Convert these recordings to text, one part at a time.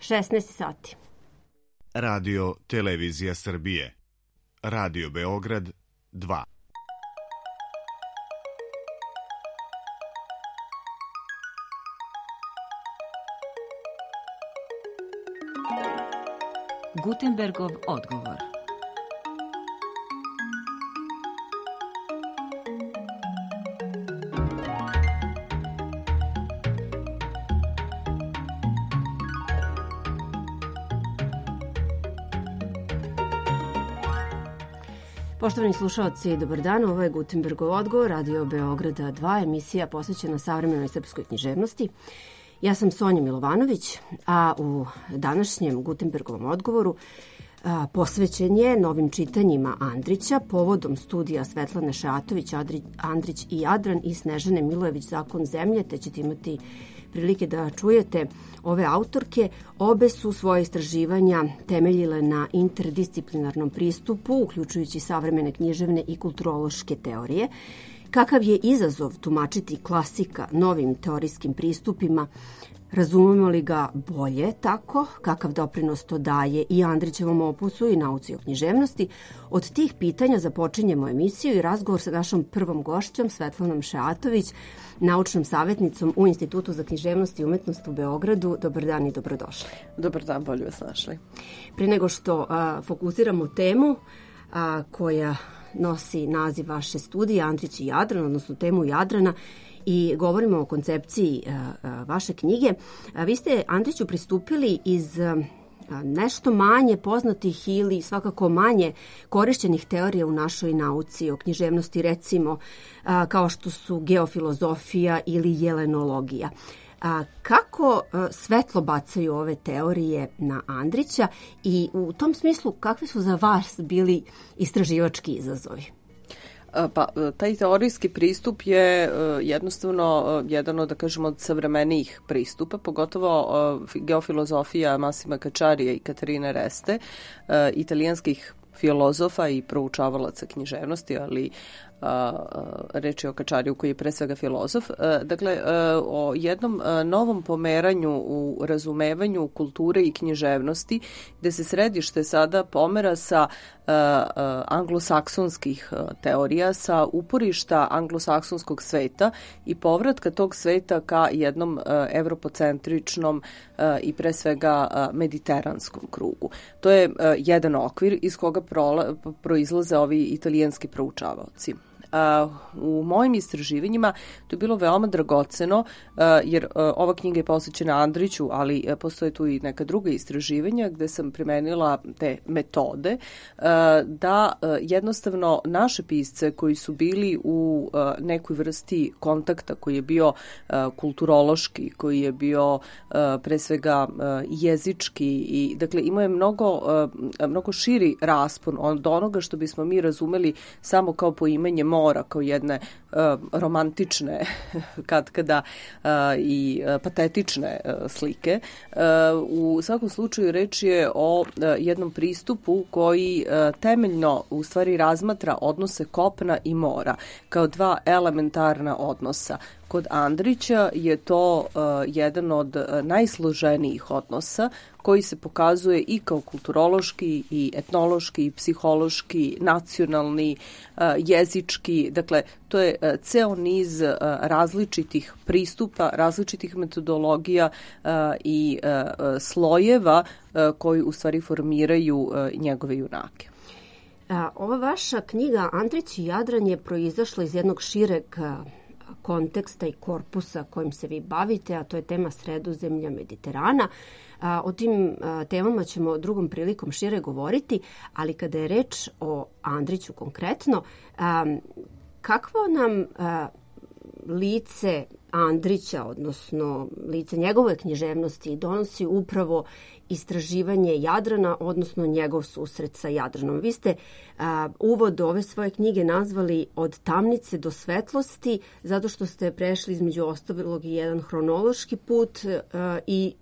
16 sati. Radio Televizija Srbije. Radio Beograd 2. Gutenbergov odgovor. Poštovani slušalci, dobar dan. Ovo je Gutenbergov odgovor, Radio Beograda 2, emisija posvećena savremenoj srpskoj književnosti. Ja sam Sonja Milovanović, a u današnjem Gutenbergovom odgovoru posvećen je novim čitanjima Andrića povodom studija Svetlane Šatović, Andrić i Jadran i Snežane Milojević Zakon zemlje, te ćete imati prilike da čujete ove autorke. Obe su svoje istraživanja temeljile na interdisciplinarnom pristupu, uključujući savremene književne i kulturološke teorije. Kakav je izazov tumačiti klasika novim teorijskim pristupima? Razumemo li ga bolje tako? Kakav doprinos to daje i Andrićevom opusu i nauci o književnosti? Od tih pitanja započinjemo emisiju i razgovor sa našom prvom gošćom, Svetlanom Šatović, naučnom savjetnicom u Institutu za književnost i umetnost u Beogradu. Dobar dan i dobrodošli. Dobar dan, bolje vas našli. Prije nego što fokusiramo temu koja nosi naziv vaše studije, Andrić i Jadran, odnosno temu Jadrana, i govorimo o koncepciji vaše knjige, vi ste Andriću pristupili iz nešto manje poznatih ili svakako manje korišćenih teorija u našoj nauci o književnosti, recimo kao što su geofilozofija ili jelenologija. Kako svetlo bacaju ove teorije na Andrića i u tom smislu kakvi su za vas bili istraživački izazovi? Pa, taj teorijski pristup je jednostavno jedan od, da kažemo, od savremenijih pristupa, pogotovo geofilozofija Massima Cacciarija i Katarine Reste, italijanskih filozofa i proučavalaca književnosti, ali reč je o Cacciariju koji je pre svega filozof. Dakle, o jednom novom pomeranju u razumevanju kulture i književnosti, gde se središte sada pomera sa anglosaksonskih teorija, sa uporišta anglosaksonskog sveta i povratka tog sveta ka jednom evropocentričnom i pre svega mediteranskom krugu. To je jedan okvir iz koga proizlaze ovi italijanski proučavaoci. U mojim istraživanjima to je bilo veoma dragoceno, jer ova knjiga je posvećena Andriću, ali postoje tu i neka druga istraživanja gde sam primenila te metode da jednostavno naše pisce koji su bili u nekoj vrsti kontakta, koji je bio kulturološki, koji je bio pre svega jezički i dakle imao je mnogo širi raspon od onoga što bismo mi razumeli samo kao poimanje mora, kao jedne romantične katkada i patetične slike. U svakom slučaju reč je o jednom pristupu koji temeljno u stvari razmatra odnose kopna i mora kao dva elementarna odnosa. Kod Andrića je to jedan od najsloženijih odnosa koji se pokazuje i kao kulturološki i etnološki, i psihološki, nacionalni, jezički. Dakle, to je ceo niz različitih pristupa, različitih metodologija i slojeva koji u stvari formiraju njegove junake. Ova vaša knjiga Andrić i Jadran je proizašla iz jednog šireg konteksta i korpusa kojim se vi bavite, a to je tema Sredozemlja, Mediterana. O tim temama ćemo drugom prilikom šire govoriti, ali kada je reč o Andriću konkretno, kakvo nam lice Andrića, odnosno lice njegove književnosti, donosi upravo istraživanje Jadrana, odnosno njegov susret sa Jadranom. Vi ste uvod ove svoje knjige nazvali Od tamnice do svetlosti, zato što ste prešli između ostalog i jedan hronološki put i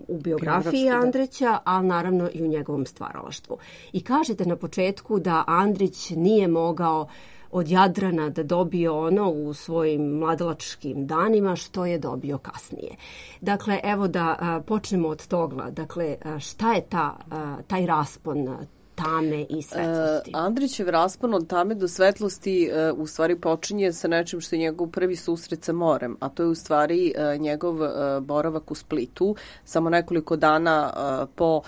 u biografiji Andrića, ali naravno i u njegovom stvaralaštvu. I kažete na početku da Andrić nije mogao od Jadrana da dobije ono u svojim mladalačkim danima što je dobio kasnije. Dakle, evo da počnemo od toga. Dakle, šta je taj raspon tame i svetlosti? Andrićev raspon od tame do svetlosti u stvari počinje sa nečim što je njegov prvi susret sa morem, a to je u stvari njegov boravak u Splitu, samo nekoliko dana po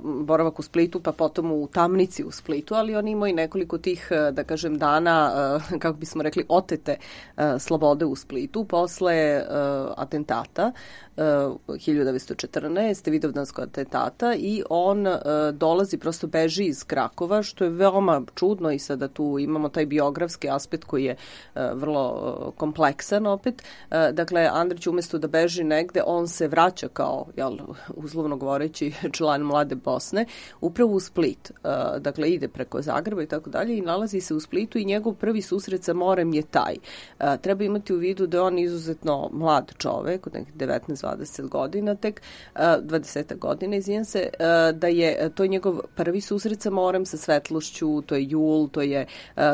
boravak u Splitu, pa potom u tamnici u Splitu, ali on imao i nekoliko tih, da kažem, dana, kako bismo rekli, otete slobode u Splitu, posle atentata 1914. Vidovdanskog atentata, i on dolazi, prosto beži iz Krakova, što je veoma čudno, i sada tu imamo taj biografski aspekt koji je vrlo kompleksan opet. Dakle, Andrić umesto da beži negde, on se vraća kao, uzlovno govoreći, član Mlade Bosne, upravo u Split. Dakle, ide preko Zagreba i tako dalje i nalazi se u Splitu, i njegov prvi susret sa morem je taj. Treba imati u vidu da je on izuzetno mlad čovek, od nekih 19-20 godina tek, 20 godina, izvijem se, da je to njegov prvi susret sa morem, sa svetlošću, to je jul,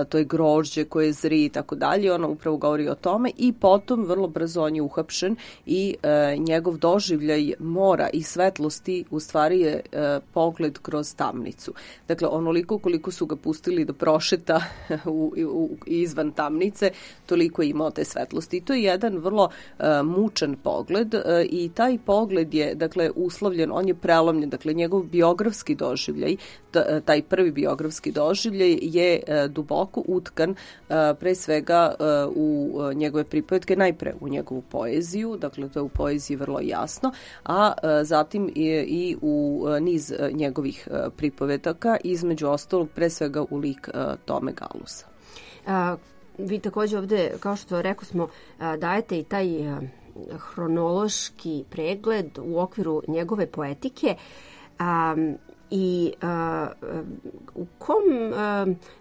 to je grožđe koje zri i tako dalje. Ona upravo govori o tome, i potom vrlo brzo on je uhapšen, i njegov doživljaj mora i svetlosti u stvari je pogled kroz tamnicu. Dakle, onoliko koliko su ga pustili da prošeta izvan tamnice, toliko je imao te svetlosti. I to je jedan vrlo mučan pogled, i taj pogled je, dakle, uslovljen, on je prelomljen, dakle, njegov biografski doživljaj, taj prvi biografski doživljaj je duboko utkan pre svega u njegove pripovetke, najpre u njegovu poeziju, dakle, to je u poeziji vrlo jasno, a zatim i u niz njegovih pripovetaka, između ostalog pre svega u lik Tome Galusa. Vi takođe ovde, kao što rekao smo, dajete i taj hronološki pregled u okviru njegove poetike, i u kom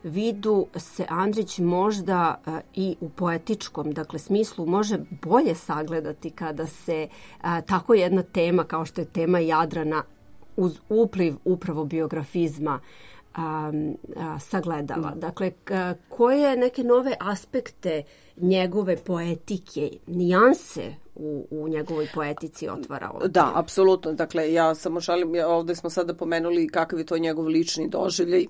vidu se Andrić možda i u poetičkom, dakle, smislu može bolje sagledati kada se tako jedna tema kao što je tema Jadrana uz upliv upravo biografizma sagledava. Dakle, koje neke nove aspekte njegove poetike, nijanse u njegovoj poetici otvara ovdje? Da, apsolutno. Dakle, ja samo šalim, ovdje smo sada pomenuli kakav je to njegov lični doživljaj,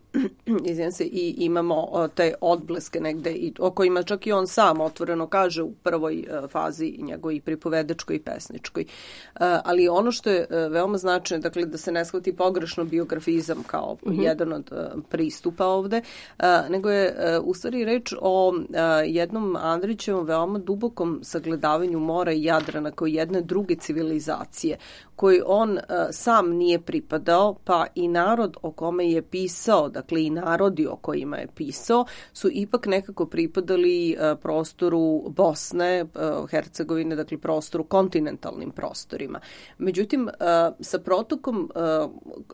i imamo te odbleske negde, o kojima čak i on sam otvoreno kaže u prvoj fazi njegovoj pripovedačkoj i pesničkoj. Ali ono što je veoma značajno, dakle, da se ne shvati pogrešno biografizam kao jedan od pristupa ovde, nego je u stvari reč o jednom Andrićevom veoma dubokom sagledavanju mora i Jadrana kao jedne druge civilizacije, koji on sam nije pripadao, pa i narod o kome je pisao, dakle i narodi o kojima je pisao, su ipak nekako pripadali prostoru Bosne, Hercegovine, dakle prostoru, kontinentalnim prostorima. Međutim, sa protokom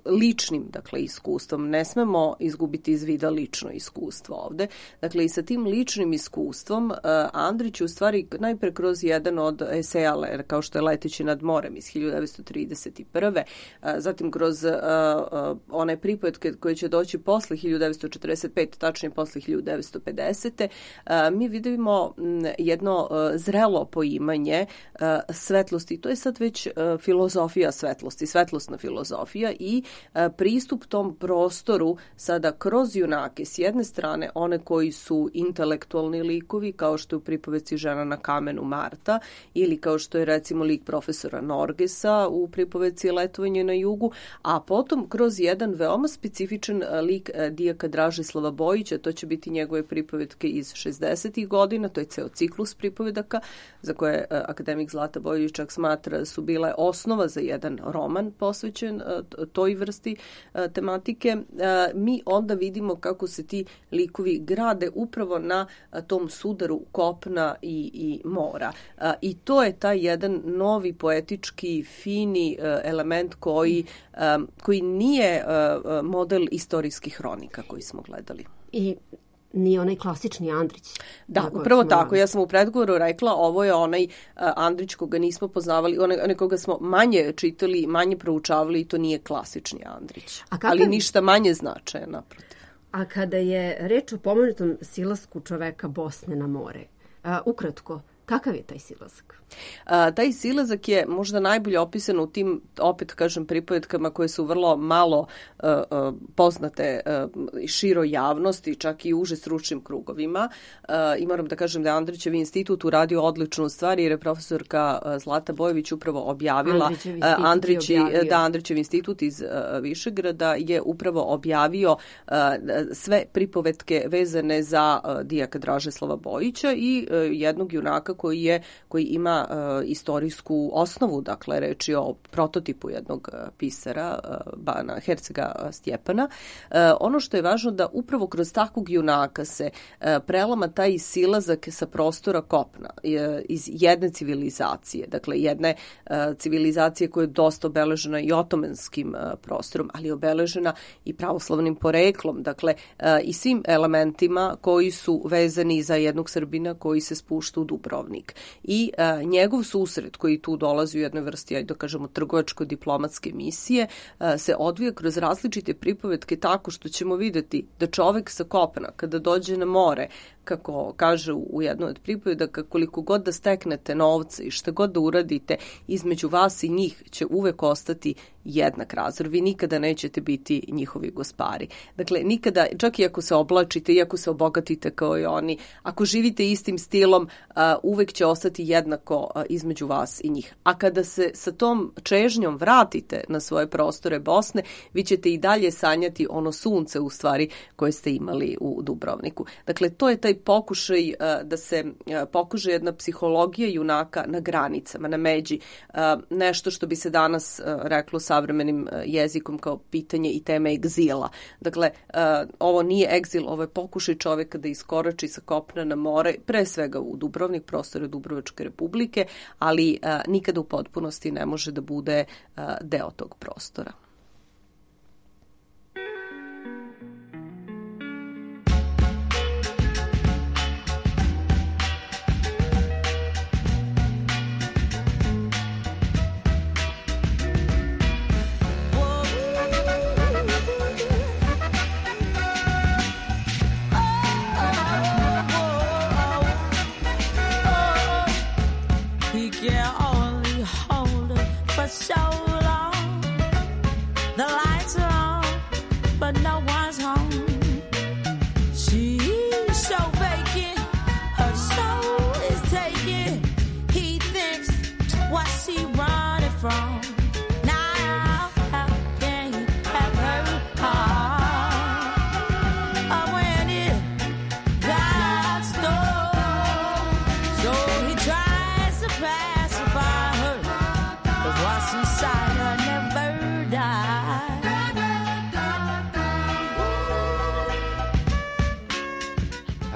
ličnim, dakle, iskustvom, ne smemo izgubiti iz vida lično iskustvo ovde. Dakle, i sa tim ličnim iskustvom Andrić u stvari najpre kroz jedan od eseja, kao što je Leteći nad morem iz 1931. Zatim kroz one pripovetke koje će doći posle 1945, tačnije posle 1950. Mi vidimo jedno zrelo poimanje svetlosti. To je sad već filozofija svetlosti, svetlosna filozofija, i pristup tom prostoru sada kroz junake. S jedne strane one koji su intelektualni likovi, kao što je u pripovetci Žena na kamenu Marta, ili kao što je recimo lik profesora Norgesa u pripovetci Letovanje na jugu, a potom kroz jedan veoma specifičan lik dijaka Dražislava Bojića, to će biti njegove pripovetke iz 60. godina, to je ceo ciklus pripovedaka za koje akademik Zlata Bojović čak smatra su bile osnova za jedan roman posvećen toj vrsti tematike. Mi onda vidimo kako se ti likovi grade upravo na tom sudaru kopna i mora. I to je taj jedan novi poetički fini element koji nije model istorijskih hronika koji smo gledali. I ni onaj klasični Andrić. Da, upravo tako. Ja sam u predgovoru rekla, ovo je onaj Andrić koga nismo poznavali, onaj koga smo manje čitali, manje proučavali i to nije klasični Andrić. Ali ništa manje značajan, naprotiv. A kada je reč o pomenutom silasku čoveka Bosne na more, ukratko, kakav je taj silazak? Taj silazak je možda najbolje opisan u tim, opet kažem, pripovetkama koje su vrlo malo poznate široj javnosti, čak i uže stručnim krugovima. I moram da kažem da je Andrićev institut uradio odličnu stvar jer je profesorka Zlata Bojović upravo objavila, Andrićev institut iz Višegrada je upravo objavio sve pripovetke vezane za dijaka Dražeslava Bojića i jednog junaka koji ima istorijsku osnovu, dakle reč je o prototipu jednog pisara, Bana Hercega Stjepana. Ono što je važno da upravo kroz takvog junaka se prelama taj silazak sa prostora kopna iz jedne civilizacije, dakle jedne civilizacije koja je dosta obeležena i otomanskim prostorom, ali je obeležena i pravoslavnim poreklom, dakle i svim elementima koji su vezani za jednog Srbina koji se spušta u Dubrovnik. I njegov susret koji tu dolazi u jednoj vrsti, ajde da kažemo, trgovačko-diplomatske misije, se odvija kroz različite pripovetke tako što ćemo videti da čovek sa kopna, kada dođe na more, kako kaže u jednoj od pripovedaka, koliko god da steknete novca i šta god da uradite, između vas i njih će uvek ostati jednak razor. Vi nikada nećete biti njihovi gospari. Dakle, nikada, čak i ako se oblačite, i ako se obogatite kao i oni, ako živite istim stilom, uvek će ostati jednako između vas i njih. A kada se sa tom čežnjom vratite na svoje prostore Bosne, vi ćete i dalje sanjati ono sunce u stvari koje ste imali u Dubrovniku. Dakle, to je taj pokušaj da se pokuže jedna psihologija junaka na granicama, na međi. Nešto što bi se danas reklo savremenim jezikom kao pitanje i teme egzila. Dakle, ovo nije egzil, ovo je pokušaj čoveka da iskorači sa kopna na more, pre svega u Dubrovnik, prostore Dubrovačke republike, ali nikada u potpunosti ne može da bude deo tog prostora.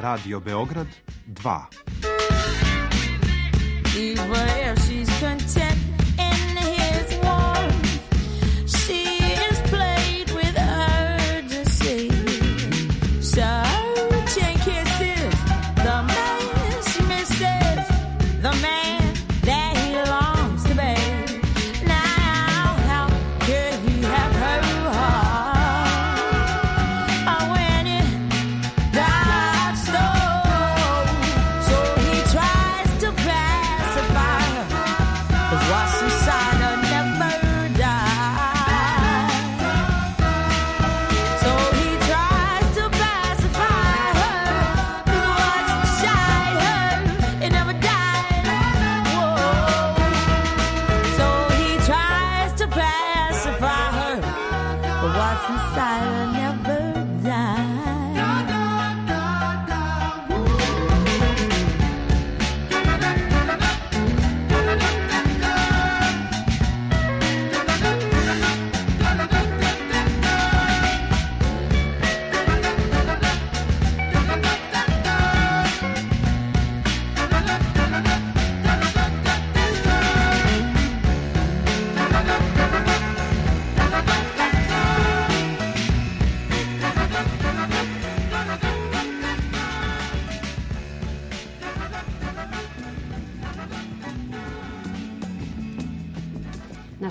Radio Beograd 2.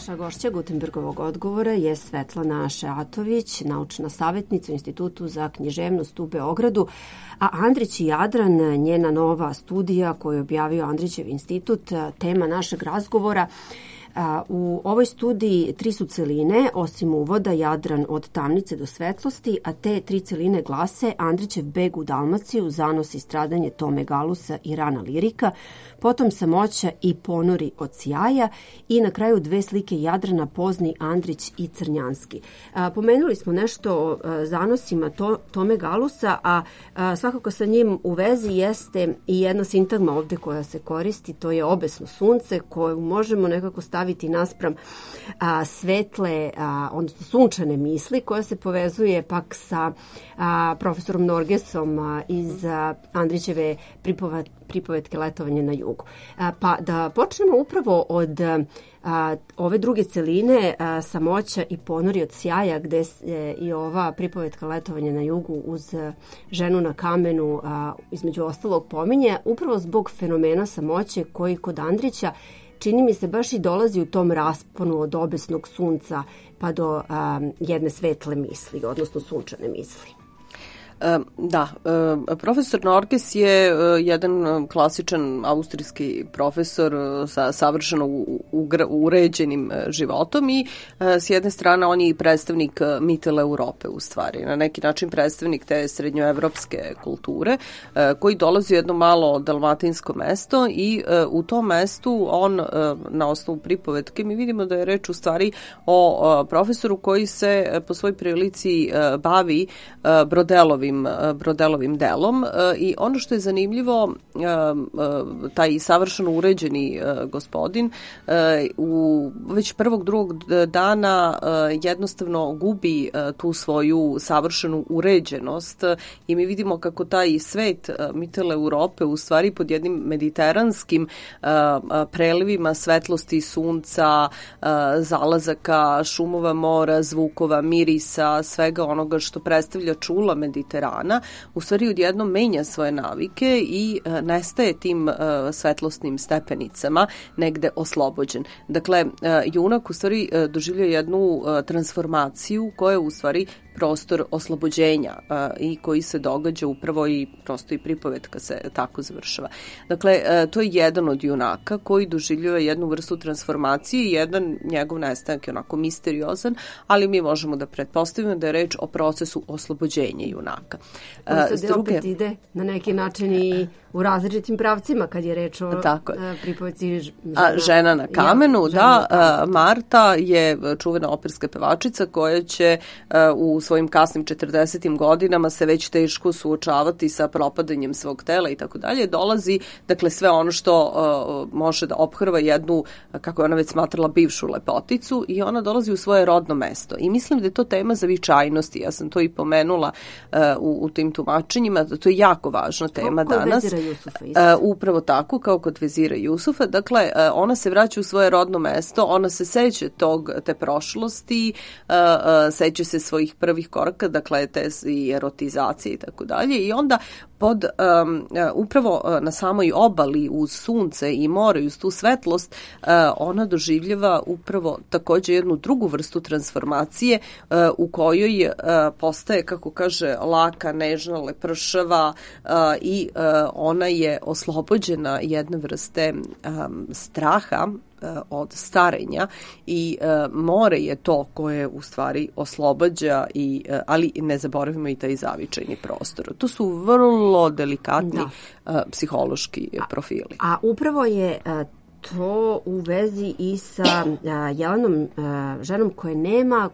Naša gošća Gutenbergovog odgovora je Svetlana Šeatović, naučna savjetnica u Institutu za književnost u Beogradu, a Andrić i Jadran, njena nova studija koju je objavio Andrićev institut, tema našeg razgovora. U ovoj studiji 3 su celine, osim uvoda, Jadran od tamnice do svetlosti, a te 3 celine glase Andrićev beg u Dalmaciju, zanos i stradanje Tome Galusa i rana lirika, potom Samoća i ponori od sjaja i na kraju 2 slike Jadrana, Pozni, Andrić i Crnjanski. Pomenuli smo nešto o zanosima Tome Galusa, a svakako sa njim u vezi jeste i jedna sintagma ovde koja se koristi, to je obesno sunce, koju možemo nekako staviti naspram svetle, odnosno sunčane misli, koja se povezuje pak sa profesorom Norgesom iz Andrićeve pripovetke Letovanje na jugu. Pa da počnemo upravo od ove druge celine, Samoća i ponori od sjaja, gde je i ova pripovetka Letovanje na jugu uz ženu na kamenu između ostalog pominje, upravo zbog fenomena samoće koji kod Andrića čini mi se baš i dolazi u tom rasponu od obesnog sunca pa do jedne svetle misli, odnosno sunčane misli. Da, profesor Norges je jedan klasičan austrijski profesor sa savršeno uređenim životom i s jedne strane on je i predstavnik Mitteleurope u stvari, na neki način predstavnik te srednjoevropske kulture koji dolazi u jedno malo dalmatinsko mesto i u tom mestu on na osnovu pripovetke mi vidimo da je reč u stvari o profesoru koji se po svoj prilici bavi brodelovim delom i ono što je zanimljivo, taj savršeno uređeni gospodin već prvog, drugog dana jednostavno gubi tu svoju savršenu uređenost i mi vidimo kako taj svet Mitteleurope u stvari pod jednim mediteranskim prelivima svetlosti sunca, zalazaka, šumova mora, zvukova, mirisa, svega onoga što predstavlja čula Mediterana, u stvari odjednom menja svoje navike i nestaje tim svetlosnim stepenicama negde oslobođen. Dakle, junak u stvari doživlja jednu transformaciju koja je u stvari prostor oslobođenja i koji se događa upravo i prosto i pripovetka se tako završava. Dakle, to je jedan od junaka koji doživljava jednu vrstu transformacije i jedan njegov nestanak je onako misteriozan, ali mi možemo da pretpostavimo da je reč o procesu oslobođenja junaka. To opet ide na neki način i u različitim pravcima kad je reč o pripovetci žena na kamenu. Marta je čuvena operska pevačica koja će u svojim kasnim 40. godinama se već teško suočavati sa propadanjem svog tela i tako dalje. Dolazi, dakle, sve ono što može da ophrva jednu, kako je ona već smatrala, bivšu lepoticu i ona dolazi u svoje rodno mesto. I mislim da je to tema zavičajnosti. Ja sam to i pomenula u tim tumačenjima. To je jako važna tema danas. Upravo tako, kao kod vezira Jusufa. Dakle, ona se vraća u svoje rodno mesto, ona se seća te prošlosti, seća se svojih prvih koraka, dakle, te i erotizacije i tako dalje. I onda upravo na samoj obali uz sunce i more i uz tu svetlost ona doživljava upravo takođe jednu drugu vrstu transformacije u kojoj postaje, kako kaže, laka, nežna, lepršava i ona je oslobođena jedne vrste straha od starenja i more je to koje u stvari oslobađa ali ne zaboravimo i taj zavičajni prostor. To su vrlo delikatni psihološki profili. A upravo je to u vezi i sa Jelenom, ženom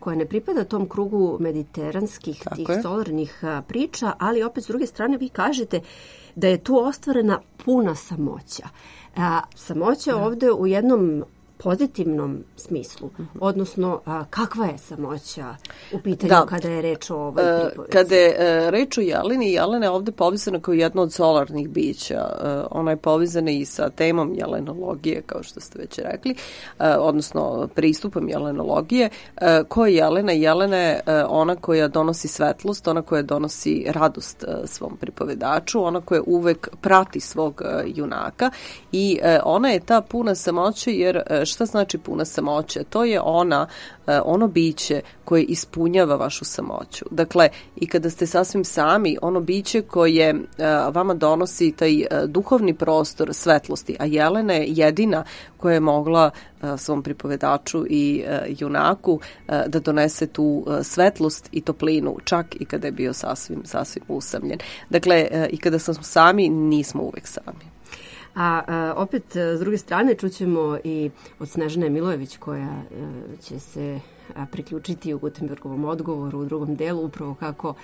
koja ne pripada tom krugu mediteranskih tih solarnih priča, ali opet s druge strane vi kažete da je tu ostvarena puna samoća. Samoća ovde u jednom pozitivnom smislu, odnosno kakva je samoća u pitanju kada je reč o ovoj pripovetci? Kada je reč o Jeleni, Jelena je ovde povezana kao jedno od solarnih bića. Ona je povezana i sa temom jelenologije, kao što ste već rekli, odnosno pristupom jelenologije. Ko je Jelena? Jelena je ona koja donosi svetlost, ona koja donosi radost svom pripovedaču, ona koja uvek prati svog junaka i ona je ta puna samoće jer šta znači puna samoća? To je ono biće koje ispunjava vašu samoću. Dakle, i kada ste sasvim sami, ono biće koje vama donosi taj duhovni prostor svetlosti, a Jelena je jedina koja je mogla svom pripovedaču i junaku da donese tu svetlost i toplinu, čak i kada je bio sasvim usamljen. Dakle, i kada smo sami, nismo uvek sami. A opet, s druge strane, čućemo i od Snežane Milojević koja će se priključiti u Gutenbergovom odgovoru u drugom delu, upravo kako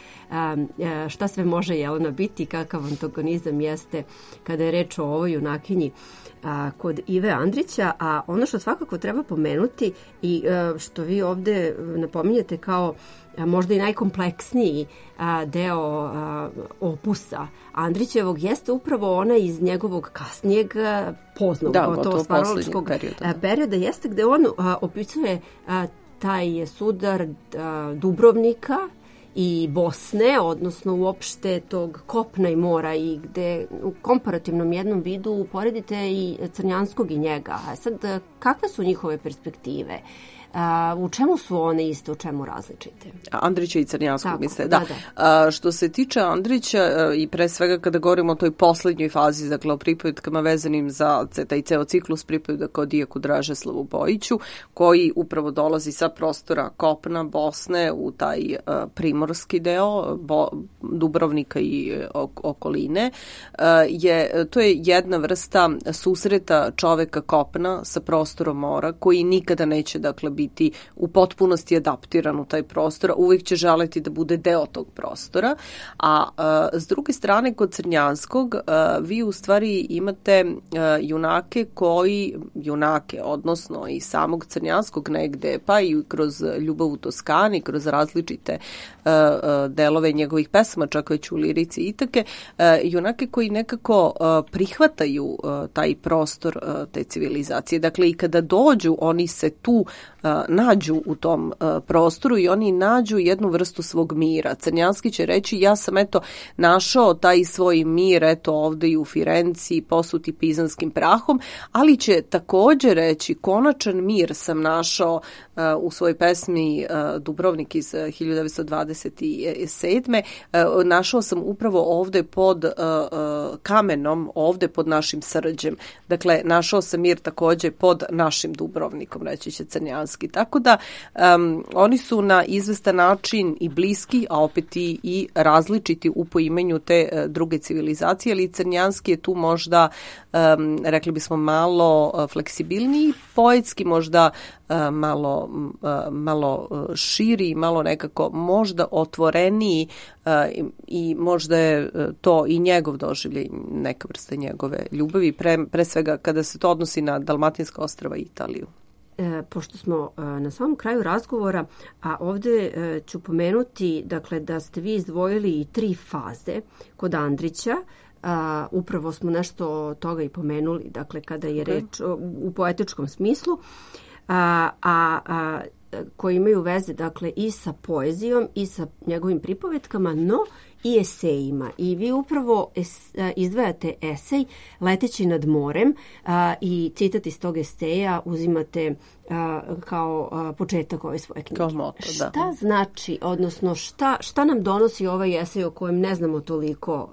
šta sve može Jelena biti, kakav antagonizam jeste kada je reč o ovoj junakinji kod Ive Andrića. A ono što svakako treba pomenuti i što vi ovde napominjete kao možda i najkompleksniji deo opusa Andrićevog jeste upravo ona iz njegovog kasnijeg poznog, gotovo stvaralačkog perioda, jeste gde on opisuje taj sudar Dubrovnika i Bosne, odnosno uopšte tog kopna i mora, i gde u komparativnom jednom vidu uporedite i Crnjanskog i njega. A sad, kakve su njihove perspektive? U čemu su one iste, u čemu različite? Andrića i Crnjanskog, misle, da. Što se tiče Andrića i pre svega kada govorimo o toj poslednjoj fazi, dakle o pripovedkama vezanim za taj ceo ciklus pripovedaka o Dijaku Dražeslavu Bojiću, koji upravo dolazi sa prostora kopna Bosne u taj primorski deo Dubrovnika i okoline, to je jedna vrsta susreta čoveka kopna sa prostorom mora, koji nikada neće, dakle, biti u potpunosti adaptiran u taj prostor, uvijek će želeti da bude deo tog prostora. A s druge strane, kod Crnjanskog, vi u stvari imate junake, odnosno i samog Crnjanskog negde, pa i kroz Ljubav u Toskani, kroz različite delove njegovih pesama, čak već u lirici Itake, junake koji nekako prihvataju taj prostor te civilizacije. Dakle, i kada dođu, oni se tu nađu u tom prostoru i oni nađu jednu vrstu svog mira. Crnjanski će reći, ja sam našao taj svoj mir ovde i u Firenci, posuti pizanskim prahom, ali će također reći, konačan mir sam našao u svojoj pesmi Dubrovnik iz 1927. Našao sam upravo ovde pod kamenom, ovde pod našim Srđem. Dakle, našao sam mir također pod našim Dubrovnikom, reći će Crnjanski. Tako da oni su na izvestan način i bliski, a opet i različiti u poimanju te druge civilizacije, ali Crnjanski je tu možda, rekli bismo, malo fleksibilniji, poetski možda malo širi, malo nekako možda otvoreniji i možda je to i njegov doživljaj, neka vrsta njegove ljubavi, pre svega kada se to odnosi na Dalmatinska ostrva i Italiju. Pošto smo na samom kraju razgovora, a ovde ću pomenuti, dakle, da ste vi izdvojili i 3 faze kod Andrića. Upravo smo nešto toga i pomenuli, dakle, kada je reč u poetičkom smislu, koji imaju veze, dakle, i sa poezijom i sa njegovim pripovetkama, no i esejima. I vi upravo izdvajate esej Leteći nad morem i citat iz tog eseja uzimate kao početak ove svoje knjige. Kao moto, da. Šta znači, odnosno šta nam donosi ovaj esej o kojem ne znamo toliko,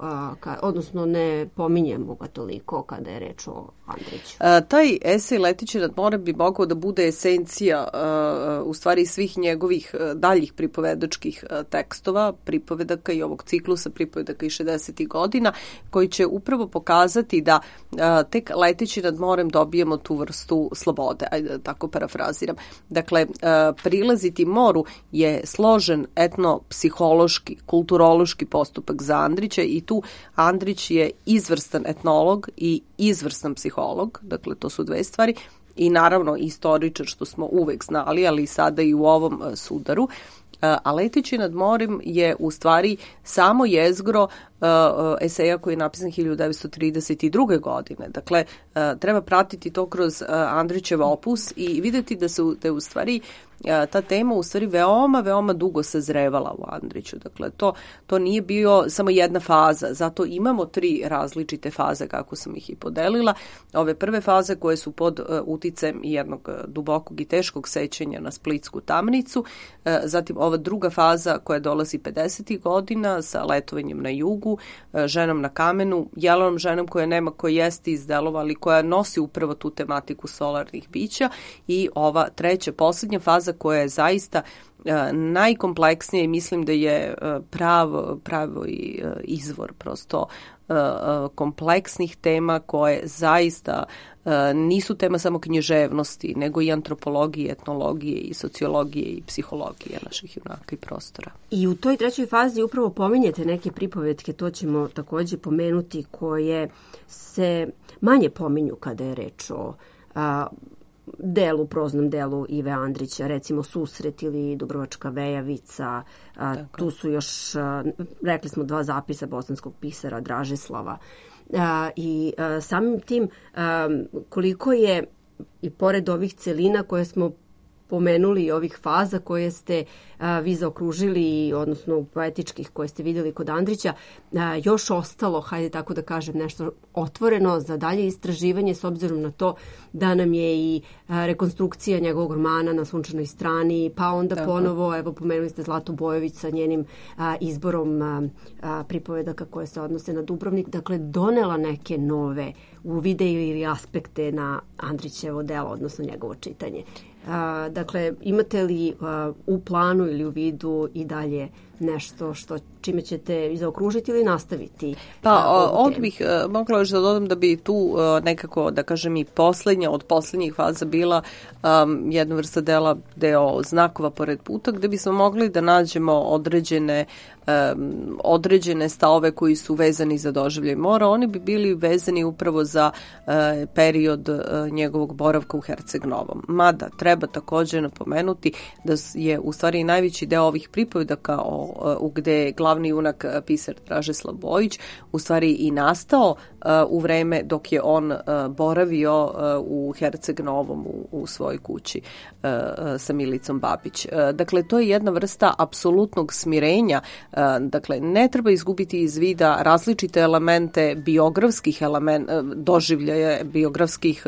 odnosno ne pominjemo ga toliko kada je reč o Andriću? Taj esej Leteći nad morem bi mogao da bude esencija u stvari svih njegovih daljih pripovedačkih tekstova, pripovedaka i ovog ciklusa pripovedaka iz 60. godina, koji će upravo pokazati da tek leteći nad morem dobijemo tu vrstu slobode, ajde da tako parafraziram. Dakle, prilaziti moru je složen etnopsihološki, kulturološki postupak za Andrića i tu Andrić je izvrstan etnolog i izvrstan psiholog, dakle to su 2 stvari, i naravno istoričar, što smo uvek znali, ali sada i u ovom sudaru. A Leteći nad morem je u stvari samo jezgro eseja koji je napisan 1932. godine. Dakle, treba pratiti to kroz Andrićev opus i vidjeti da je u stvari ta tema u stvari veoma dugo sazrevala u Andriću. Dakle, to nije bio samo jedna faza, zato imamo 3 različite faze kako sam ih i podelila. Ove prve faze koje su pod uticajem jednog dubokog i teškog sećanja na splitsku tamnicu, zatim ova druga faza koja dolazi 50. godina sa letovanjem na jugu, ženom na kamenu, Jelenom ženom koja nema koji jeste izdelova, ali koja nosi upravo tu tematiku solarnih bića, i ova treća, poslednja faza koja je zaista najkompleksnija i mislim da je pravi izvor prosto kompleksnih tema koje zaista nisu tema samo književnosti, nego i antropologije, etnologije i sociologije i psihologije naših junaka i prostora. I u toj trećoj fazi upravo pominjete neke pripovetke, to ćemo takođe pomenuti, koje se manje pominju kada je reč o proznom delu Ive Andrića, recimo Susret ili Dubrovačka Vejavica. Tu su još, rekli smo, 2 zapisa bosanskog pisara Dražislava. I samim tim koliko je, i pored ovih celina koje smo pomenuli i ovih faza koje ste vi zaokružili, odnosno poetičkih koje ste vidjeli kod Andrića, još ostalo, hajde tako da kažem, nešto otvoreno za dalje istraživanje, s obzirom na to da nam je i rekonstrukcija njegovog romana Na sunčanoj strani, pa onda ponovo, evo pomenuli ste Zlatu Bojović sa njenim izborom pripovedaka koje se odnose na Dubrovnik, dakle donela neke nove uvide ili aspekte na Andrićevo delo, odnosno njegovo čitanje. Dakle, imate li u planu ili u vidu i dalje nešto čime ćete zaokružiti ili nastaviti? Pa, ovdje bih mogla još da dodam da bi tu nekako, da kažem, i od posljednjih faza bila jedna vrsta deo znakova pored puta, gde bismo mogli da nađemo određene stavove koji su vezani za doživljaj mora. Oni bi bili vezani upravo za period njegovog boravka u Herceg Novom. Mada treba takođe napomenuti da je u stvari najveći deo ovih pripovedaka gde je glavni junak pisar Dražislav Bojić u stvari i nastao u vreme dok je on boravio u Herceg Novom u svojoj kući sa Milicom Babić. Dakle, to je jedna vrsta apsolutnog smirenja. Dakle, ne treba izgubiti iz vida različite elemente biografskih doživljaja, biografskih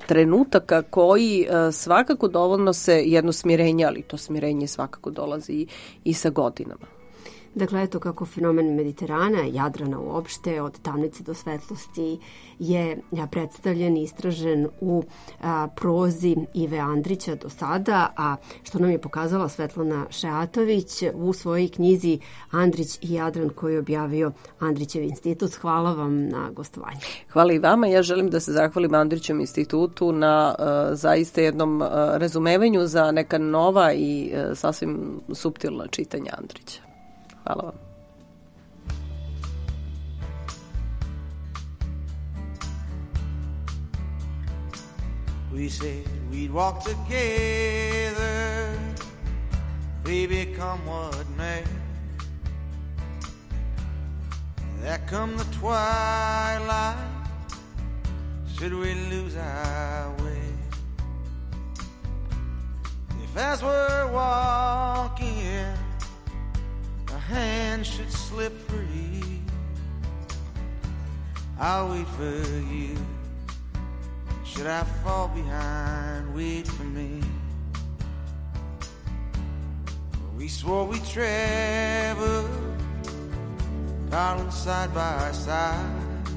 trenutaka koji svakako donose jedno smirenje, ali to smirenje svakako dolazi i sa godinama. Dakle, eto kako fenomen Mediterana, Jadrana uopšte, od tamnice do svetlosti je predstavljen i istražen u prozi Ive Andrića do sada, a što nam je pokazala Svetlana Šeatović u svojoj knjizi Andrić i Jadran koju je objavio Andrićev institut. Hvala vam na gostovanju. Hvala i vama. Ja želim da se zahvalim Andrićevom institutu na zaista jednom razumevanju za neka nova i sasvim suptilna čitanja Andrića. Hvala vam. We said we'd walk together, baby, come what may. There come the twilight, should we lose our way? If as we're walking hand should slip free, I'll wait for you. Should I fall behind, wait for me. We swore we'd travel, darling, side by side.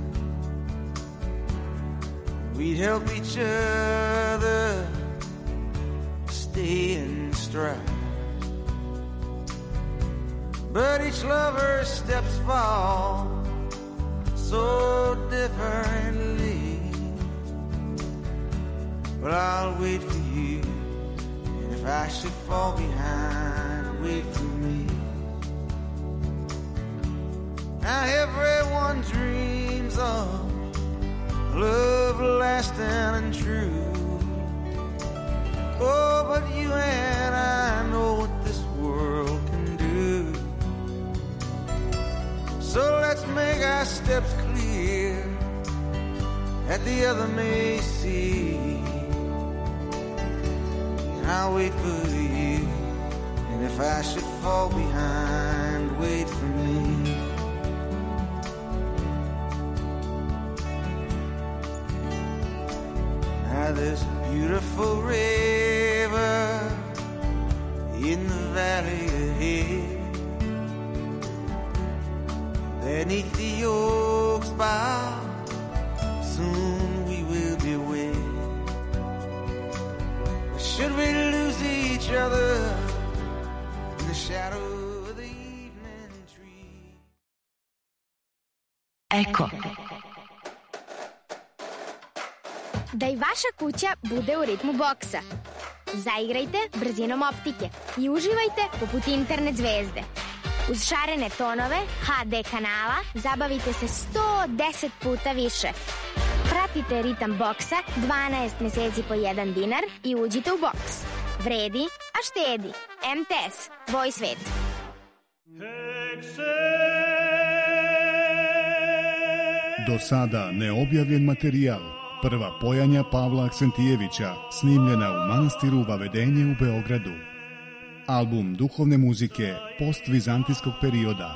We'd help each other stay in stride. But each lover's steps fall so differently. But I'll wait for you, and if I should fall behind, wait for me. Now everyone dreams of love lasting and true. Oh, but you and I know what this world can do. So let's make our steps clear that the other may see. And I'll wait for you. And if I should fall behind, wait for me. Now there's a beautiful river in the valley ahead. Beneath the oaks bough, soon we will be wed. Should we lose each other in the shadow of the evening tree? Eko. Da i vaša kuća bude u ritmu boksa. Zaigrajte brzinom optike i uživajte poput internet zvezde. Uz šarene tonove HD kanala zabavite se 110 puta više. Pratite ritam boksa 12 meseci po $1 i uđite u boks. Vredi, a štedi. MTS, tvoj svet. Do sada neobjavljen materijal. Prva pojanja Pavla Aksentijevića, snimljena u manastiru Vavedenje u Beogradu. Album duhovne muzike postvizantijskog perioda.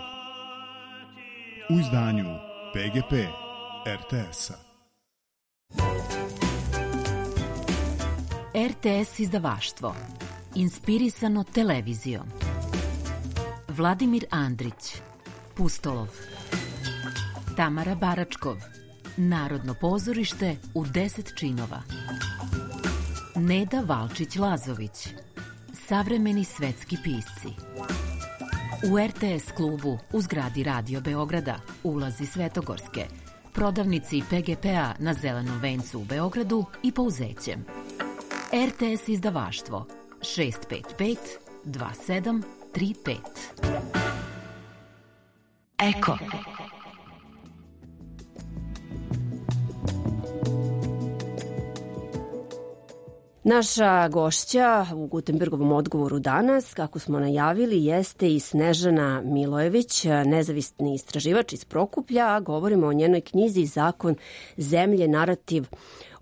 U izdanju PGP RTS-a. RTS izdavaštvo. Inspirisano televizijom. Vladimir Andrić, Pustolov. Tamara Baračkov, Narodno pozorište u 10 činova. Neda Valčić-Lazović, Savremeni svetski pisci. U RTS klubu u zgradi Radio Beograda, ulazi Svetogorske, prodavnici PGP-a na Zelenom vencu u Beogradu i Pouzećem. RTS izdavaštvo 655 2735. Eko. Naša gošća u Gutenbergovom odgovoru danas, kako smo najavili, jeste i Snežana Milojević, nezavisni istraživač iz Prokuplja, a govorimo o njenoj knjizi Zakon zemlje, narativ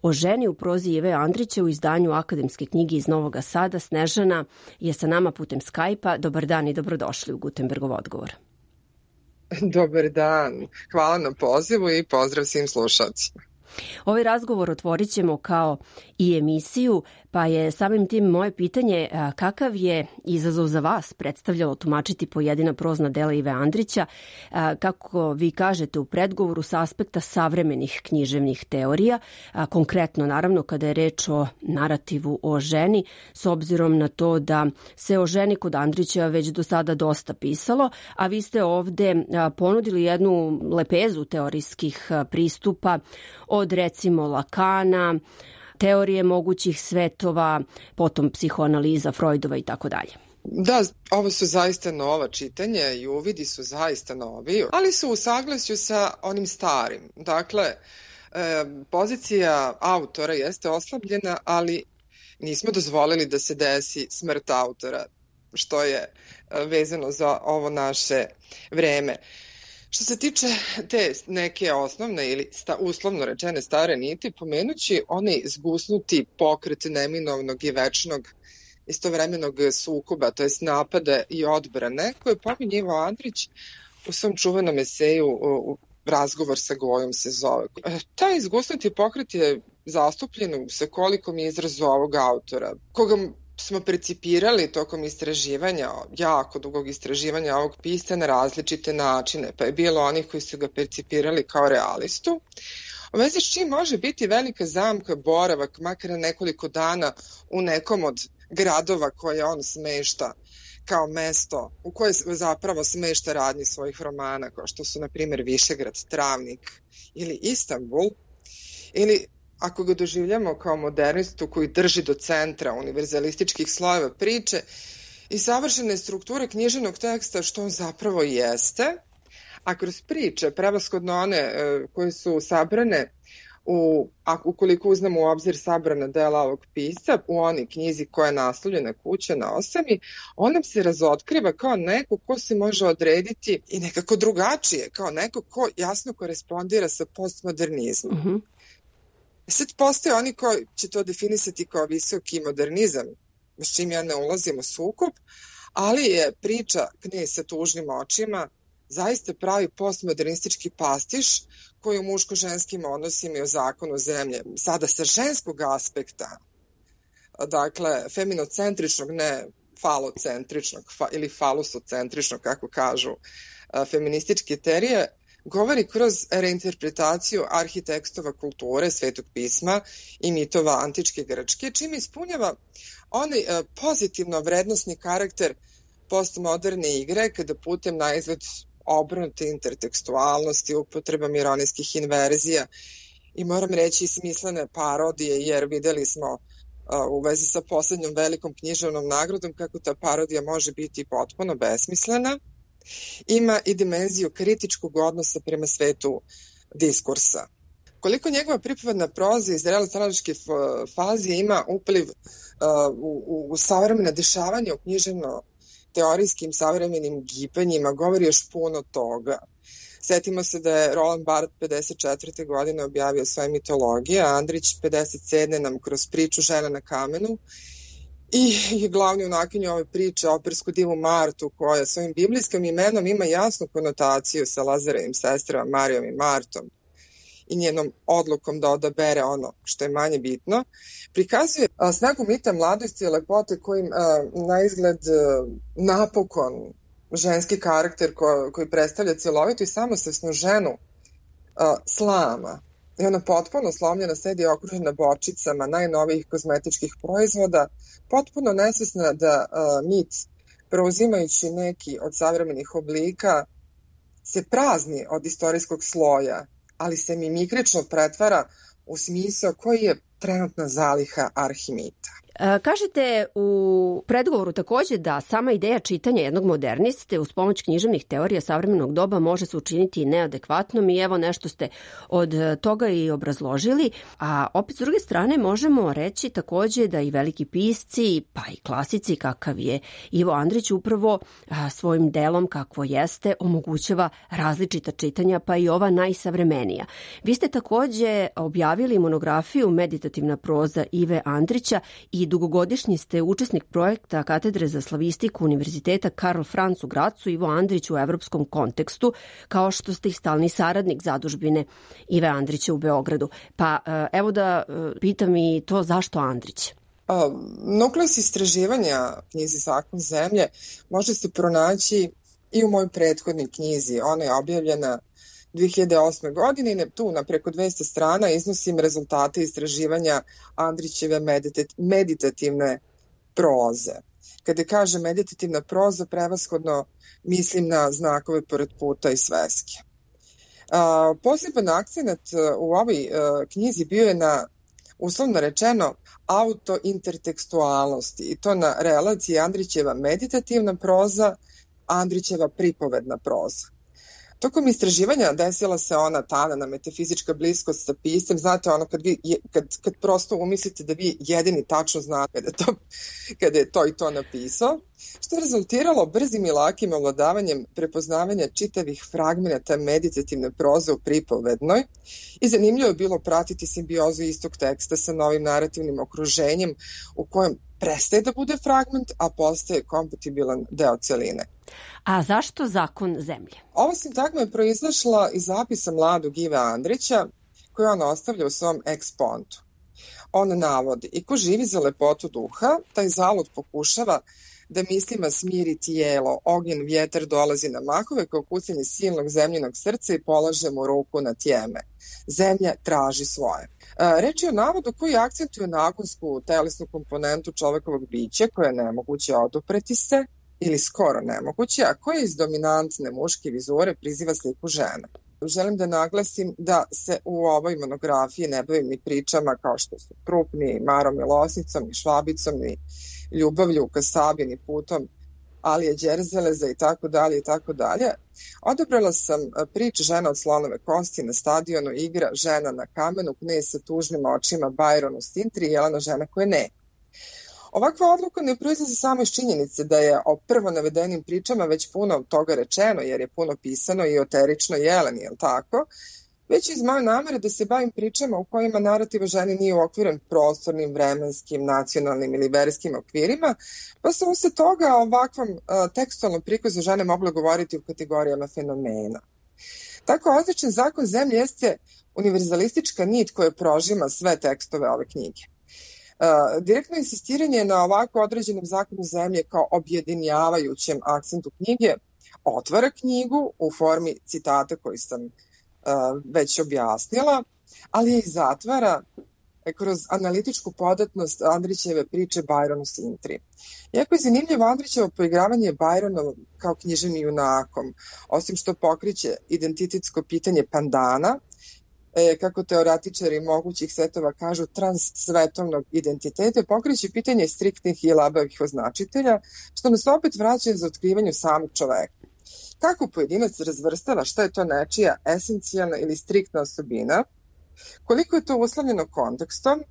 o ženi u prozi Ive Andrića u izdanju akademske knjige iz Novog Sada. Snežana je sa nama putem Skype-a. Dobar dan i dobrodošli u Gutenbergov odgovor. Dobar dan. Hvala na pozivu i pozdrav svim slušalcima. Ovaj razgovor otvorit ćemo kao i emisiju, pa je samim tim moje pitanje kakav je izazov za vas predstavljalo tumačiti pojedina prozna dela Ive Andrića, kako vi kažete u predgovoru, sa aspekta savremenih književnih teorija, konkretno naravno kada je reč o narativu o ženi, s obzirom na to da se o ženi kod Andrića već do sada dosta pisalo, a vi ste ovde ponudili jednu lepezu teorijskih pristupa od recimo Lakana, teorije mogućih svetova, potom psihoanaliza Freudova i tako dalje. Da, ovo su zaista nova čitanja i uvidi su zaista novi, ali su u saglasju sa onim starim. Dakle, pozicija autora jeste oslabljena, ali nismo dozvolili da se desi smrt autora, što je vezano za ovo naše vreme. Što se tiče te neke osnovne ili uslovno rečene stare niti, pomenući onaj zgusnuti pokret neminovnog i večnog istovremenog sukoba, to jest napada i odbrane, koje pominje Ivo Andrić u svom čuvenom eseju Razgovor sa Gojom se zove. Taj zgusnuti pokret je zastupljen u svekolikom izrazu ovog autora, koga smo percipirali tokom istraživanja, jako dugog istraživanja ovog pisca na različite načine, pa je bilo onih koji su ga percipirali kao realistu. U vezi s čim može biti velika zamka boravak, makar nekoliko dana u nekom od gradova koje on smešta kao mesto u koje zapravo smešta radnji svojih romana, kao što su, na primjer, Višegrad, Travnik ili Istanbul, ili ako ga doživljamo kao modernistu koji drži do centra univerzalističkih slojeva priče i savršene strukture književnog teksta, što on zapravo jeste, a kroz priče, prevashodno one koje su sabrane, ukoliko uzmemo u obzir sabrana dela ovog pisca, u onoj knjizi koja je naslovljena Kuća na osami, on nam se razotkriva kao neko ko se može odrediti i nekako drugačije, kao neko ko jasno korespondira sa postmodernizmom. Sad postoje oni koji će to definisati kao visoki modernizam, s čim ja ne ulazim u sukob, ali je priča Knez sa tužnim očima zaista pravi postmodernistički pastiš koji u muško-ženskim odnosima i o zakonu zemlje, sada sa ženskog aspekta, dakle, feminocentričnog, ne falocentričnog ili falusocentričnog, kako kažu feminističke teorije, govori kroz reinterpretaciju arhitekstova kulture, Svetog pisma i mitova antičke Grčke, čime ispunjava onaj pozitivno vrednosni karakter postmoderne igre, kada putem na izgled obrnute intertekstualnosti, upotrebom ironijskih inverzija i moram reći smislene parodije, jer videli smo u vezi sa poslednjom velikom književnom nagradom kako ta parodija može biti potpuno besmislena, ima i dimenziju kritičkog odnosa prema svetu diskursa. Koliko njegova pripovedna proza iz realističke faze ima upliv u savremena dešavanja u književno-teorijskim savremenim gibanjima, govori još puno toga. Setimo se da je Roland Barthes 54. godine objavio svoje mitologije, a Andrić 57. nam kroz priču Žena na kamenu i glavni junakinju ove priče, opersku divu Martu, koja svojim biblijskim imenom ima jasnu konotaciju sa Lazarevim sestrama Marijom i Martom i njenom odlukom da odabere ono što je manje bitno, prikazuje snagu mita mladosti i lepote kojim na izgled napokon ženski karakter koji predstavlja cjelovitu i samosvesnu ženu slama. I ona potpuno slomljena sedi okružena bočicama najnovijih kozmetičkih proizvoda, potpuno nesvesna da mit, preuzimajući neki od savremenih oblika, se prazni od istorijskog sloja, ali se mimikrično pretvara u smisao koji je trenutna zaliha arhimita. Kažete u predgovoru takođe da sama ideja čitanja jednog moderniste uz pomoć književnih teorija savremenog doba može se učiniti neadekvatnom i evo nešto ste od toga i obrazložili, a opet s druge strane možemo reći takođe da i veliki pisci pa i klasici kakav je Ivo Andrić upravo svojim delom kakvo jeste omogućava različita čitanja pa i ova najsavremenija. Vi ste takođe objavili monografiju Meditativna proza Ive Andrića i dugogodišnji ste učesnik projekta Katedre za slavistiku Univerziteta Karl Franz u Gracu, Ivo Andrić u evropskom kontekstu, kao što ste i stalni saradnik zadužbine Ive Andrića u Beogradu. Pa evo da pitam i to zašto Andrić? Nukleus istraživanja knjizi Zakon zemlje može se pronaći i u mojoj prethodnoj knjizi. Ona je objavljena 2008. godine i tu na preko 200 strana iznosim rezultate istraživanja Andrićeve meditativne proze. Kada kažem meditativna proza, prevashodno mislim na znakove pored puta i sveske. Poseban akcenat u ovoj knjizi bio je na, uslovno rečeno, autointertekstualnosti i to na relaciji Andrićeva meditativna proza, Andrićeva pripovedna proza. Tokom istraživanja desila se ona tanana metafizička bliskost sa piscem, znate ono kad prosto umislite da vi jedini tačno znate kada je to i to napisao, što je rezultiralo brzim i lakim ovladavanjem prepoznavanja čitavih fragmenata meditativne proze u pripovednoj i zanimljivo je bilo pratiti simbiozu istog teksta sa novim narativnim okruženjem u kojem prestaje da bude fragment, a postaje kompatibilan deo celine. A zašto Zakon zemlje? Ova sintagma je proizašla iz zapisa mladog Ive Andrića koji on ostavlja u svom ekspontu. On navodi, i ko živi za lepotu duha, taj zalud pokušava da mislima smiri tijelo, ognjen vjetar dolazi na mahove kao kucanje silnog zemljinog srca i polaže mu ruku na tjeme. Zemlja traži svoje. Reč je o navodu koji akcentuje nagonsku telesnu komponentu čovekovog bića koja je nemoguće odupreti se ili skoro nemoguće, a koja iz dominantne muške vizure priziva sliku žene. Želim da naglasim da se u ovoj monografiji ne bavim ni pričama kao što su Krup, ni Marom Milosnicom, ni Švabicom, ni Ljubavlju u Kasabi, ni Putom Alije Đerzeleza i tako dalje i tako dalje. Odabrala sam priče Žena od slonove kosti na stadionu, igra Žena na kamenu, Knez sa tužnim očima, Bajron u Stintri i Jelena žena koja ne. Ovakva odluka ne proizlazi samo iz činjenice da je o prvo navedenim pričama već puno toga rečeno, jer je puno pisano i o teričnoj Jeleni, je li tako? već iz moje namere da se bavim pričama u kojima narativ o ženi nije uokviren prostornim, vremenskim, nacionalnim ili verskim okvirima, pa sam usled toga ovakvom tekstualnom prikazu žene mogla govoriti u kategorijama fenomena. Tako odličan zakon zemlje jeste univerzalistička nit koja prožima sve tekstove ove knjige. Direktno insistiranje na ovako određenom zakonu zemlje kao objedinjavajućem akcentu knjige otvara knjigu u formi citata koji sam već objasnila, ali je i zatvara kroz analitičku podatnost Andrićeve priče Bajronu Sintri. Jako je zanimljivo Andrićevo poigravanje Bajronom kao književnim junakom, osim što pokriće identitetsko pitanje pandana, kako teoretičari mogućih svetova kažu, transsvetovnog identiteta, pokriće pitanje striktnih i labavih označitelja, što nas opet vraća za otkrivanju samog čoveka. Kako pojedinac razvrstava šta je to nečija esencijalna ili striktna osobina, koliko je to uslovljeno kontekstom,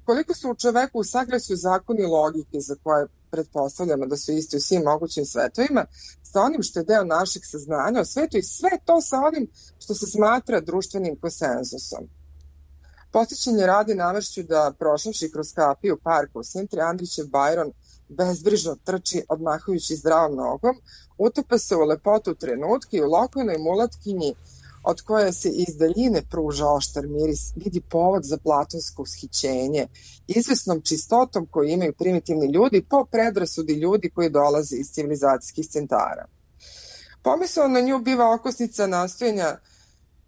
koliko su u čoveku u saglasju zakoni logike za koje pretpostavljamo da su isti u svim mogućim svetovima, sa onim što je deo našeg saznanja o svetu i sve to sa onim što se smatra društvenim konsenzusom. Podsjećanje radi navršću da prošavši kroz kapiju parka u Sintri, Andrićev Bajron bezbrižno trči odmahujući zdravom nogom, utopa se u lepotu trenutke i u lokalnoj mulatkinji od koje se iz daljine pruža oštar miris, vidi povod za platonsko ushićenje, izvesnom čistotom koju imaju primitivni ljudi po predrasudi ljudi koji dolaze iz civilizacijskih centara. Pomisao na nju biva okosnica nastojanja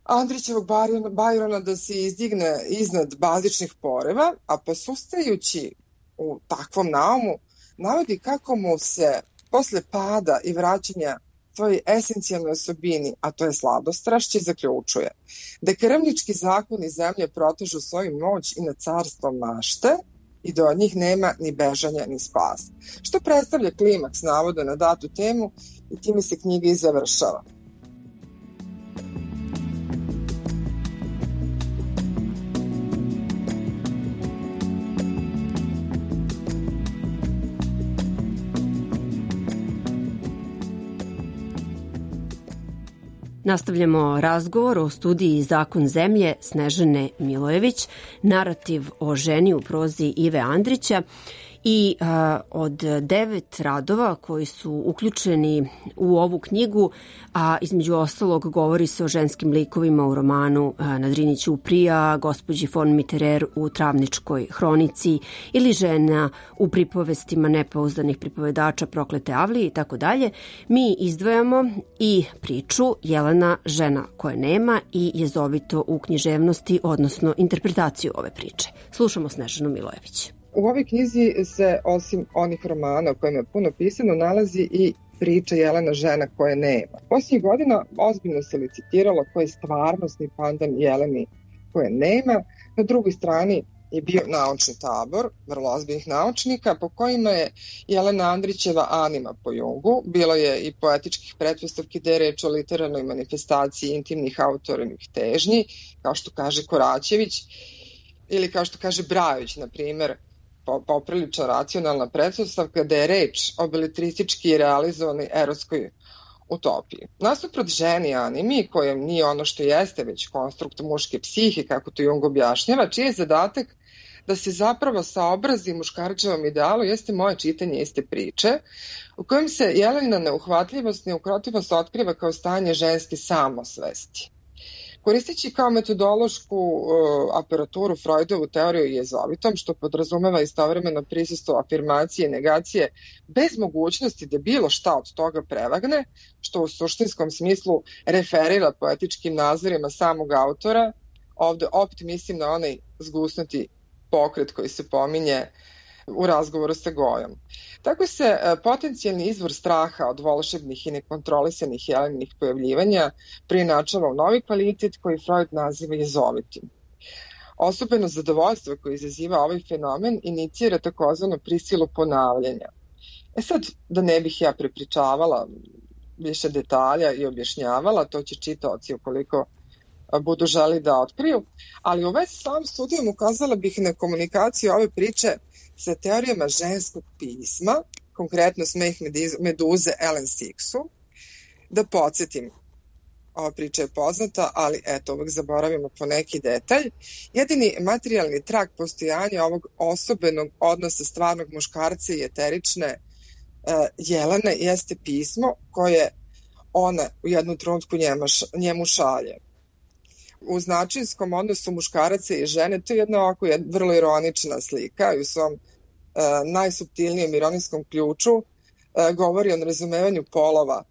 Andrićevog Bajrona da se izdigne iznad bazičnih poreva, a posustajući u takvom naumu navodi kako mu se posle pada i vraćanja svojoj esencijalnoj osobini, a to je sladostrašće, zaključuje da krvnički zakoni zemlje protežu svoju moć i na carstvo mašte i da od njih nema ni bežanja ni spas, što predstavlja klimaks navoda na datu temu i time se knjiga i završava. Nastavljamo razgovor o studiji Zakon zemlje Snežane Milojević, narativ o ženi u prozi Ive Andrića i od 9 radova koji su uključeni u ovu knjigu, a između ostalog govori se o ženskim likovima u romanu Na Drini ćuprija, gospođi von Mitterer u Travničkoj hronici ili žena u pripovestima nepouzdanih pripovedača Proklete Avlije i tako dalje. Mi izdvajamo i priču Jelena, žena koje nema i jezovito u književnosti, odnosno interpretaciju ove priče. Slušamo Snežanu Milojević. U ovoj knjizi se, osim onih romana o kojima je puno pisano, nalazi i priča Jelena, žena koje nema. Posljednjih godina ozbiljno se licitiralo koji je stvarnostni pandan Jeleni koje nema. Na drugoj strani je bio naučni tabor, vrlo ozbiljnih naučnika, po kojima je Jelena Andrićeva anima po Jungu. Bilo je i poetičkih pretpostavki da je reč o literarnoj manifestaciji intimnih autornih težnji, kao što kaže Koraćević, ili kao što kaže Brajović, na primjer, poprilično racionalna pretpostavka da je reč o beletristički realizovanoj erotskoj utopiji. Nasuprot ženi animi, koja nije ono što jeste, već konstrukt muške psihe, kako to Jung objašnjava, čiji je zadatak da se zapravo saobrazi muškarčevom idealu, jeste moje čitanje iste priče, u kojem se Jelena neuhvatljivost, neukrotivost otkriva kao stanje ženske samosvesti. Koristeći kao metodološku aparaturu Freudovu teoriju jezovitom, što podrazumeva istovremeno prisustvo afirmacije i negacije bez mogućnosti da bilo šta od toga prevagne, što u suštinskom smislu referira poetičkim nazorima samog autora, ovde opet mislim na onaj zgusnuti pokret koji se pominje u razgovoru sa Gojom. Tako se potencijalni izvor straha od volšebnih i nekontrolisanih Jeleninih pojavljivanja preinačava u novi kvalitet koji Freud naziva jezovitim. Osobeno zadovoljstvo koje izaziva ovaj fenomen inicira takozvanu prisilu ponavljanja. Sad, da ne bih ja prepričavala više detalja i objašnjavala, to će čitaoci ukoliko budu želi da otkriju, ali u vezi s ovom studijom ukazala bih na komunikaciju ove priče sa teorijama ženskog pisma, konkretno Smeh meduze Ellen Sixu. Da podsjetim, ova priča je poznata, ali eto, uvek zaboravimo po neki detalj. Jedini materijalni trag postojanja ovog osobenog odnosa stvarnog muškarca i eterične Jelene jeste pismo koje ona u jednom trenutku njemu šalje. U značinskom odnosu muškaraca i žene to je jedna vrlo ironična slika i u svom najsuptilnijem ironijskom ključu govori o nerazumevanju polova,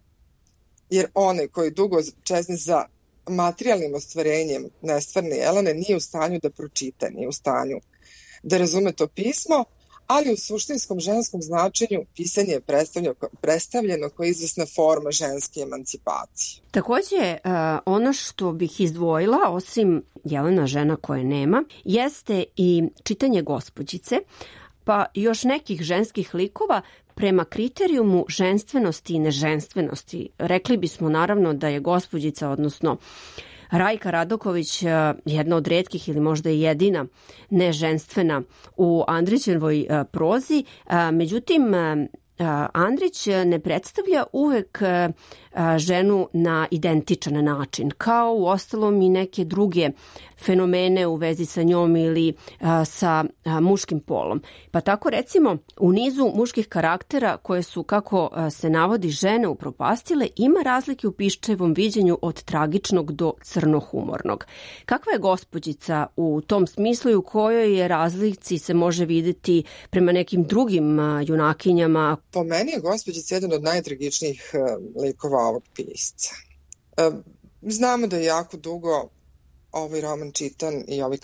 jer onaj koji dugo čezne za materijalnim ostvarenjem nestvarne Jelene nije u stanju da pročita, nije u stanju da razume to pismo, ali u suštinskom ženskom značenju pisanje je predstavljeno kao izvesna forma ženske emancipacije. Takođe, ono što bih izdvojila, osim Jelena žena koje nema, jeste i čitanje Gospođice, pa još nekih ženskih likova prema kriterijumu ženstvenosti i neženstvenosti. Rekli bismo naravno da je Gospođica, odnosno Rajka Radoković, jedna od retkih ili možda i jedina neženstvena u Andrićevoj prozi. Međutim, Andrić ne predstavlja uvek ženu na identičan način, kao u ostalom i neke druge fenomene u vezi sa njom ili sa muškim polom. Pa tako recimo u nizu muških karaktera koje su, kako se navodi, žene upropastile, ima razlike u Piščevom viđenju od tragičnog do crnohumornog. Kakva je Gospođica u tom smislu i u kojoj je razlici se može videti prema nekim drugim junakinjama? Po meni je Gospođica jedan od najtragičnijih likova ovog pisca. Znamo da je jako dugo ovaj roman čitan i ovaj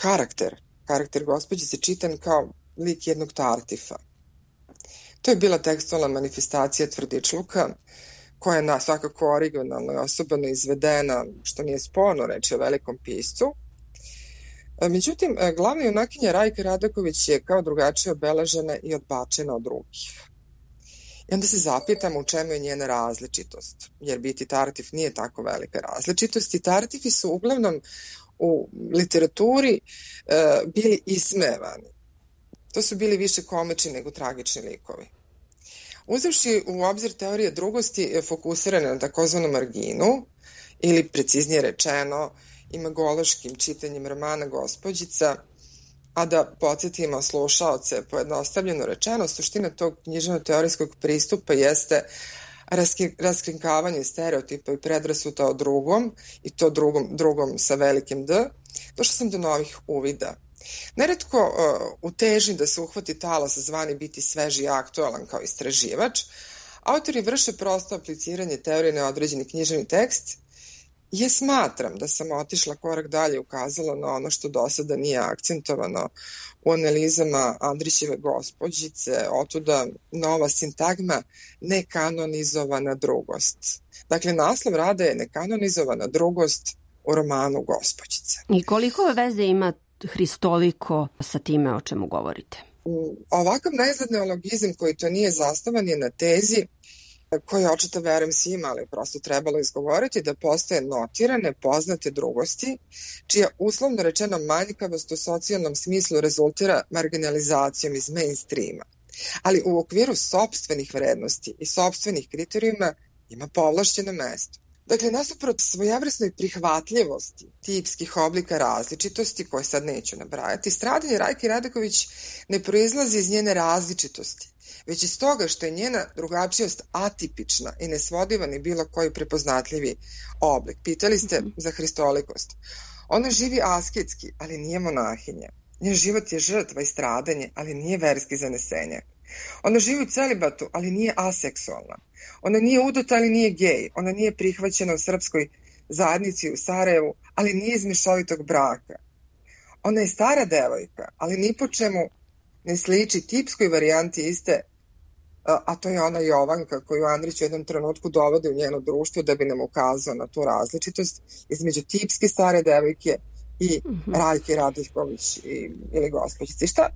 karakter Gospođice čitan kao lik jednog tartifa. To je bila tekstualna manifestacija tvrdičluka koja je svakako originalno i osobano izvedena, što nije sporno reći o velikom piscu. Međutim, glavna junakinja Rajka Radaković je kao drugačije obeležena i odbačena od drugih. I onda se zapitamo u čemu je njena različitost, jer biti tartif nije tako velika različitost i tartifi su uglavnom u literaturi bili ismevani. To su bili više komični nego tragični likovi. Uzevši u obzir teorije drugosti fokusirane na takozvanu marginu, ili preciznije rečeno imagološkim čitanjem romana Gospođica, a da podsjetimo slušaoce, pojednostavljeno rečeno, suština tog književno-teorijskog pristupa jeste raskrinkavanje stereotipa i predrasuda o drugom, i to drugom sa velikim D, došla sam do novih uvida. Neretko u težnji da se uhvati talas zvani biti sveži i aktualan kao istraživač, autori vrše prosto apliciranje teorije na određeni književni tekst. Smatram da sam otišla korak dalje i ukazala na ono što do sada nije akcentovano u analizama Andrićeve Gospođice, otuda nova sintagma nekanonizovana drugost. Dakle, naslov rada je nekanonizovana drugost u romanu Gospođice. I koliko veze ima Hristoliko sa time o čemu govorite? Ovakav neizgled neologizam koji to nije zasnovan je na tezi koji očito verujem svima, ali prosto trebalo izgovoriti da postoje notirane, poznate drugosti, čija uslovno rečeno manjkavost u socijalnom smislu rezultira marginalizacijom iz mainstreama. Ali u okviru sopstvenih vrednosti i sopstvenih kriterijuma ima povlašćeno mesto. Dakle, nasuprot svojevrsnoj prihvatljivosti tipskih oblika različitosti, koje sad neću nabrajati, stradanje Rajke Radaković ne proizlazi iz njene različitosti, već iz toga što je njena drugačijost atipična i nesvodiva ni bilo koji prepoznatljivi oblik. Pitali ste za hristolikost. Ona živi asketski, ali nije monahinja. Njen život je žrtva i stradanje, ali nije verski zanesenjak. Ona živi u celibatu, ali nije aseksualna. Ona nije udata, ali nije gej. Ona nije prihvaćena u srpskoj zajednici u Sarajevu, ali nije iz mešovitog braka. Ona je stara devojka, ali ni po čemu ne sliči tipskoj varijanti iste, a to je ona Jovanka koju Andrić u jednom trenutku dovodi u njeno društvo da bi nam ukazao na tu različitost između tipske stare devojke i Rajke Radaković ili Gospođice. I šta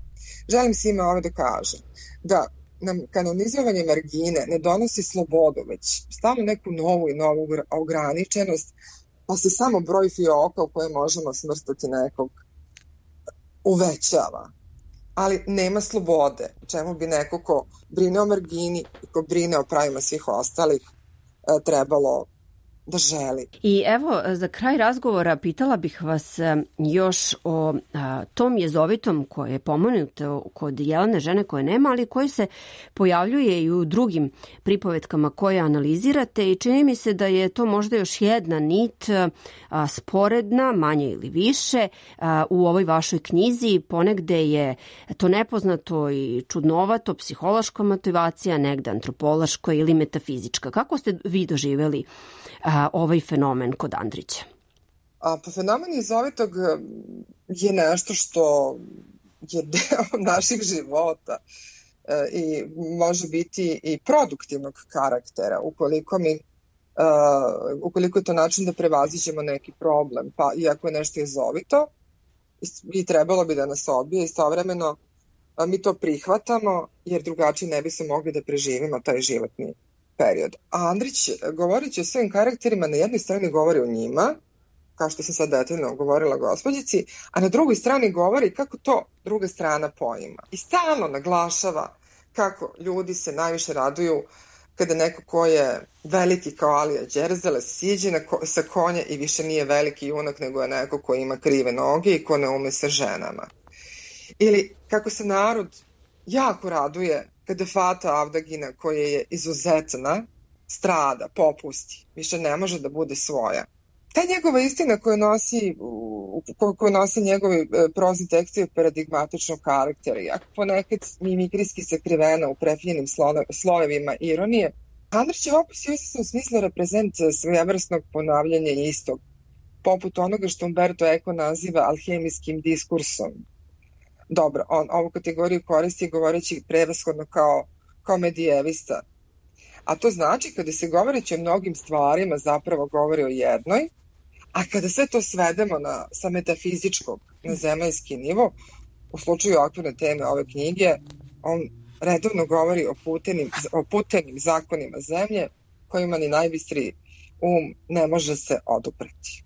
želim svima ovo da kažem? Da nam kanonizovanje margine ne donosi slobodu, već stalno neku novu i novu ograničenost, pa se samo broj fioka u koje možemo smrstati nekog uvećava. Ali nema slobode, čemu bi neko ko brine o margini i ko brine o pravima svih ostalih trebalo da želi. I evo, za kraj razgovora pitala bih vas još o tom jezovitom koje je pomenuto kod Jelene, žene koje nema, ali koji se pojavljuje i u drugim pripovetkama koje analizirate i čini mi se da je to možda još jedna nit sporedna, manje ili više, u ovoj vašoj knjizi. Ponegde je to nepoznato i čudnovato, psihološka motivacija, negde antropološka ili metafizička. Kako ste vi doživeli ovaj fenomen kod Andrića? Pa fenomen jezovitog je nešto što je deo naših života i može biti i produktivnog karaktera ukoliko je to način da prevaziđemo neki problem. Pa iako je nešto jezovito i trebalo bi da nas odbije, istovremeno mi to prihvatamo jer drugačije ne bi se mogli da preživimo taj životni period. A Andrić, govoreći o svojim karakterima, na jednoj strani govori o njima, kao što sam sad detaljno govorila gospođici, a na drugoj strani govori kako to druga strana poima. I stalno naglašava kako ljudi se najviše raduju kada neko ko je veliki kao Alija Đerzele siđe sa konja i više nije veliki junak, nego je neko ko ima krive noge i ko ne ume sa ženama. Ili kako se narod jako raduje kada Fata Avdagina, koja je izuzetna, strada, popusti, više ne može da bude svoja. Ta njegova istina koju nosi njegovi prozni tekstovi paradigmatičnog karaktera, jako ponekad mimikrijski sakrivena u prefinjenim slojevima ironije, Andrićev opis je u smislu reprezent svojevrsnog ponavljanja istog, poput onoga što Umberto Eco naziva alhemijskim diskursom. Dobro, on ovu kategoriju koristi govoreći prevashodno kao medijevista. A to znači kada se govoreći o mnogim stvarima zapravo govori o jednoj, a kada sve to svedemo sa metafizičkog na zemaljski nivo, u slučaju okvirne teme ove knjige, on redovno govori o putenim zakonima zemlje kojima ni najbistriji ne može se odupreti.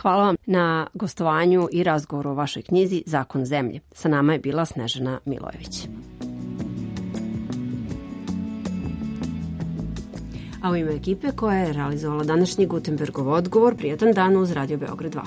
Hvala vam na gostovanju i razgovoru o vašoj knjizi Zakon zemlje. Sa nama je bila Snežana Milojević. A u ime ekipe koja je realizovala današnji Gutenbergov odgovor, prijatan dan uz Radio Beograd 2.